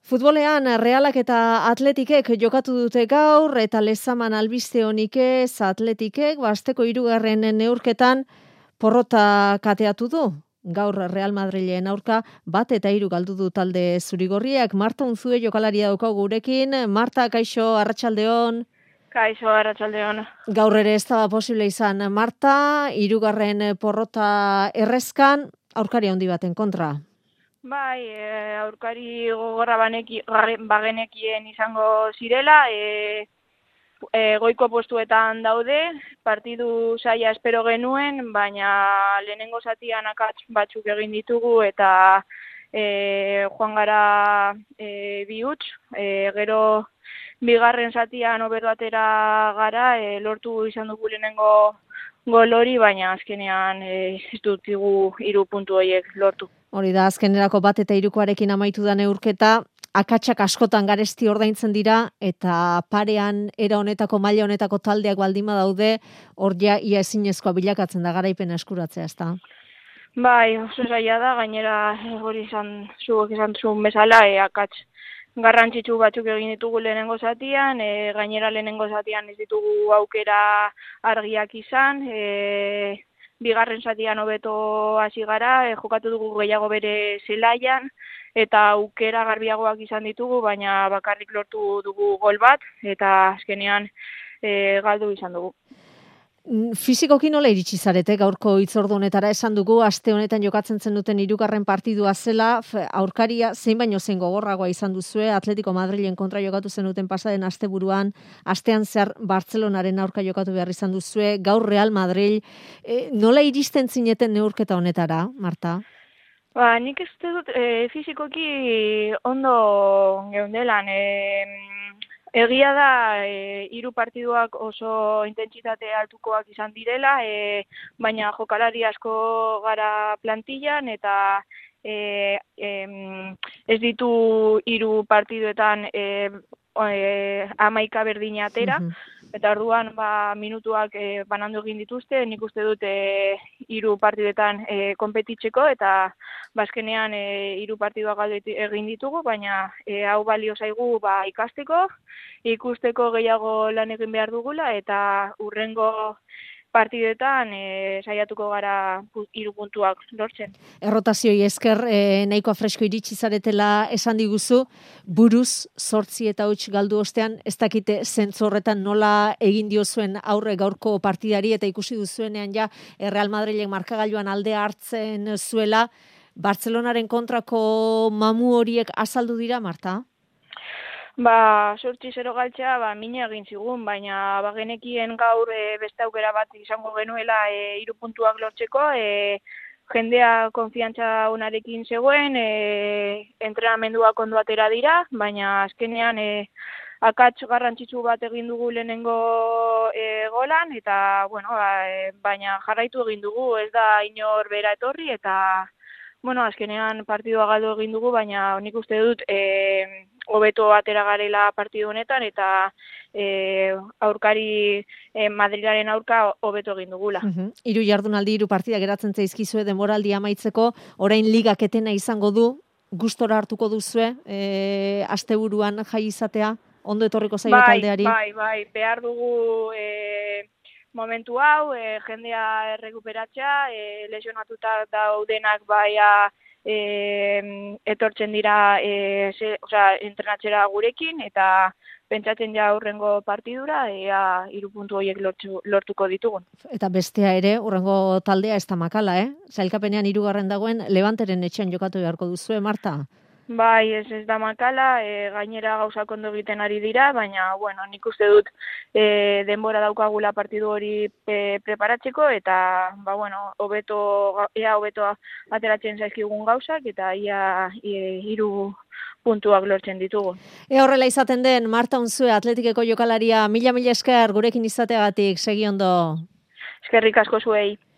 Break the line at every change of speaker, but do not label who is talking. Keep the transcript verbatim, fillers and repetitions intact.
Futbolean Realak eta Atletikek jokatu dute gaur eta Lezaman albiste honik ez Atletikek basteko hirugarren neurketan porrota kateatu du. Gaur Real Madrilen aurka bat eta hiru galdu du talde zurigorriak. Marta Unzue jokalaria daukagu gurekin. Marta, kaixo, arratsaldeon.
Kaixo, arratsaldeon.
Gaur ere ez da posible izan. Marta, hirugarren porrota errezkan aurkari handi baten kontra.
Bai, e, aurkari gogorra baneki, bagenekien izango zirela, e, e, goiko postuetan daude, partidu saia espero genuen, baina lehenengo zatian akats batzuk egin ditugu eta e, joan gara e, bi huts, e, gero bigarren zatian hobeto atera gara, e, lortu izan dugu lehenengo gol hori, baina azkenean e, ez dutigu hiru puntu horiek lortu.
Hori da, azkenerako bat eta hirukoarekin amaitu da neurketa, akatsak askotan garesti ordaintzen dira, eta parean era honetako, maila honetako taldeak baldima daude, hor ja ia ezinezkoa bilakatzen da garaipena eskuratzea, ezta?
Bai, oso zaila da, gainera hori izan zuek izan zuen bezala, e, akats garrantzitsu batzuk egin ditugu lehenengo zatian, e, gainera lehenengo zatian ez ditugu aukera argiak izan, e, bigarren zatian hobeto hasi gara, e, jokatu dugu gehiago bere zelaian, eta aukera garbiagoak izan ditugu, baina bakarrik lortu dugu gol bat, eta azkenean e, galdu izan dugu.
Fisikoki nola iritsi zarete gaurko hitzordu honetara? Esan dugu aste honetan jokatzen zenuten hirugarren partidua zela, aurkaria zein baino zein gogorragoa izan duzue, Atletico Madrilen kontra jokatu zenuten pasaden asteburuan, astean zehar Bartzelonaren aurka jokatu behar izan duzue, gaur Real Madrid, e, nola iristen zineten neurketa honetara, Marta?
Ba, nik ez dut e, fisikoki ondo geundelan, e, egia da, e, hiru partiduak oso intentsitate altukoak izan direla, e, baina jokalari asko gara plantillan eta e, e, ez ditu hiru partiduetan e, e, hamaika berdina atera, eta orduan ba, minutuak e, banandu egin dituzte, nik uste dut e, hiru partidetan e, konpetitzeko, eta bazkenean e, hiru partiduak galdu egin ditugu, baina e, hau balio zaigu ba, ikasteko, ikusteko gehiago lan egin behar dugula, eta hurrengo partidetan e, saiatuko gara hiru puntuak lortzen.
Errotazioi esker e, nahikoa fresko iritsi zaretela esan diguzu, buruz zortzi eta huts galdu ostean, ez dakite zentzu horretan nola egin diozuen aurre gaurko partidari, eta ikusi duzuenean ja Real Madrilek markagailuan alde hartzen zuela, Bartzelonaren kontrako mamu horiek azaldu dira, Marta?
Ba, sortzi zero galtzea, ba, mina egin zigun, baina bagenekien gaur e, beste aukera bat izango genuela e, hiru puntuak lortzeko, e, jendea konfiantza onarekin zegoen, e, entrenamenduak ondo atera dira, baina azkenean e, akats garrantzitsu bat egin dugu lehenengo e, golan, eta, bueno, ba, e, baina jarraitu egin dugu, ez da inor bera etorri, eta, bueno, azkenean partidua galdu egin dugu, baina nik uste dut, e, hobeto atera garela partidu honetan, eta e, aurkari e, Madrilaren aurka hobeto egin dugula.
Uhum. Hiru jardunaldi, hiru partida geratzen zaizkizue denboraldi amaitzeko, orain ligak etena izango du, gustora hartuko duzue, e, asteburuan jai izatea, ondo etorriko zaio
bai,
taldeari?
Bai, bai, behar dugu e, momentu hau, e, jendea errekuperatzea, e, lesionatuta daudenak baia E, etortzen dira e, ze, oza, entrenatzera gurekin, eta pentsatzen ja hurrengo partidura ea hiru puntu horiek lortu, lortuko ditugun.
Eta bestea ere, hurrengo taldea ez da makala, eh? Zailkapenean hirugarren dagoen Levanteren etxean jokatu beharko duzue, Marta?
Bai, ez ez da makala, e, gainera gauzak ondo egiten ari dira, baina, bueno, nik uste dut e, denbora daukagula partidu hori e, preparatzeko, eta, ba, bueno, hobeto, ea hobeto ateratzen zaizkigun gauzak, eta ia e, hiru puntuak lortzen ditugu.
Ea horrela izaten den, Marta Unzue, Atletikeko jokalaria, mila mila esker gurekin izateagatik, segi ondo.
Eskerrik asko zuei.